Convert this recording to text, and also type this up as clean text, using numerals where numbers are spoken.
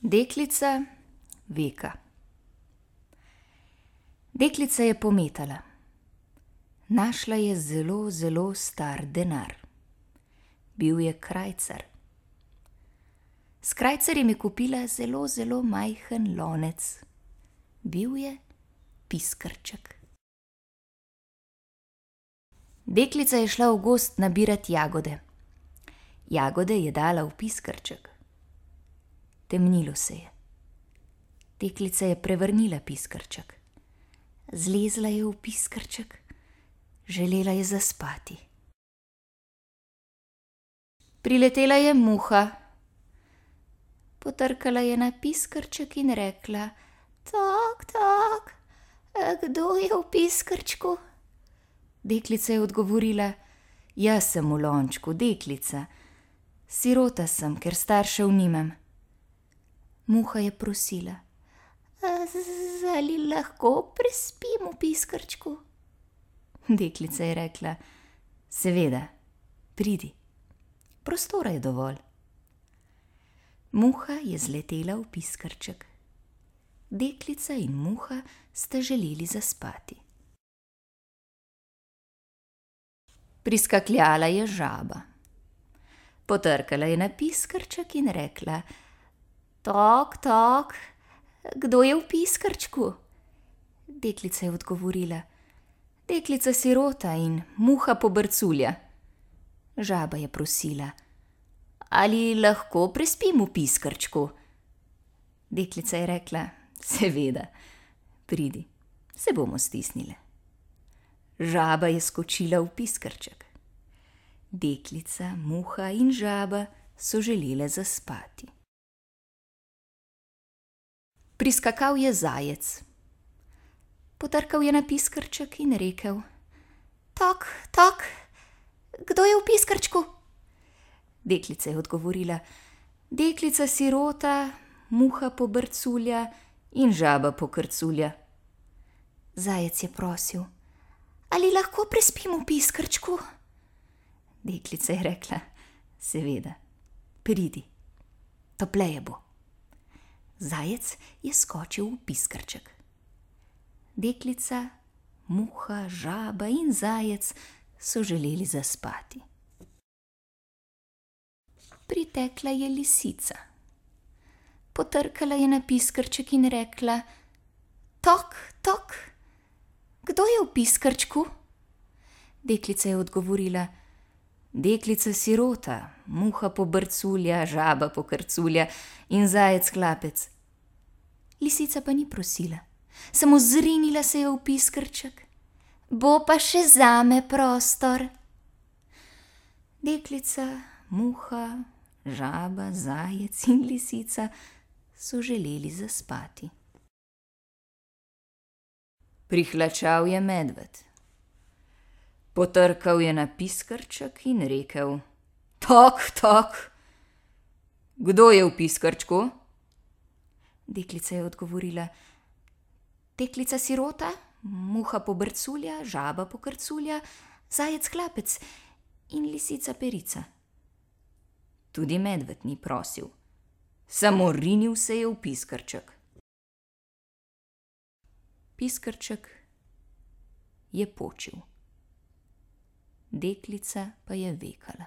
Deklica Veka. Deklica je pometala. Našla je zelo, zelo star denar. Bil je krajcar. S krajcarjem je kupila zelo, zelo majhen lonec. Bil je piskrček. Deklica je šla v gozd nabirat jagode. Jagode je dala v piskrček. Temnilo se je. Deklica je prevrnila piskrček. Zlezla je v piskrček. Želela je zaspati. Priletela je muha. Potrkala je na piskrček in rekla: "Tok, tok, kdo je v piskrčku?" Deklica je odgovorila: "Jaz sem v lončku, deklica. Sirota sem, ker staršev nimam." Muha je prosila: "Ali lahko prespim v piskrčku?" Deklica je rekla: "Seveda, pridi, prostora je dovolj." Muha je zletela v piskrček. Deklica in muha sta želeli zaspati. Priskakljala je žaba. Potrkala je na piskrček in rekla: "Tok, tok, kdo je v piskrčku?" Deklica je odgovorila: "Deklica sirota in muha pobrculja." Žaba je prosila: "Ali lahko prespim v piskrčku?" Deklica je rekla: "Seveda, pridi, se bomo stisnile." Žaba je skočila v piskrček. Deklica, muha in žaba so želele zaspati. Priskakal je zajec. Potrkal je na piskrček in rekel: "Tok, tok, kdo je v piskrčku?" Deklica je odgovorila: "Deklica sirota, muha pobrculja in žaba pokrculja." Zajec je prosil: "Ali lahko prespim v piskrčku?" Deklica je rekla: "Seveda, pridi, topleje bo." Zajec je skočil v piskrček. Deklica, muha, žaba in zajec so želeli zaspati. Pritekla je lisica. Potrkala je na piskrček in rekla: "Tok, tok, kdo je v piskrčku?" Deklica je odgovorila: "Deklica sirota, muha pobrculja, žaba pokrculja in zajec hlapec." Lisica pa ni prosila, samo zrinila se je v piskrček. "Bo pa še zame prostor." Deklica, muha, žaba, zajec in lisica so želeli zaspati. Prihlačal je medved. Potrkal je na piskrček in rekel: "Tok, tok, kdo je v piskrčku?" Deklica je odgovorila: "Deklica sirota, muha pobrculja, žaba pokrculja, zajec hlapec in lisica perica." Tudi medved ni prosil, samo rinil se je v piskrček. Piskrček je počil. Deklica pa je vekala.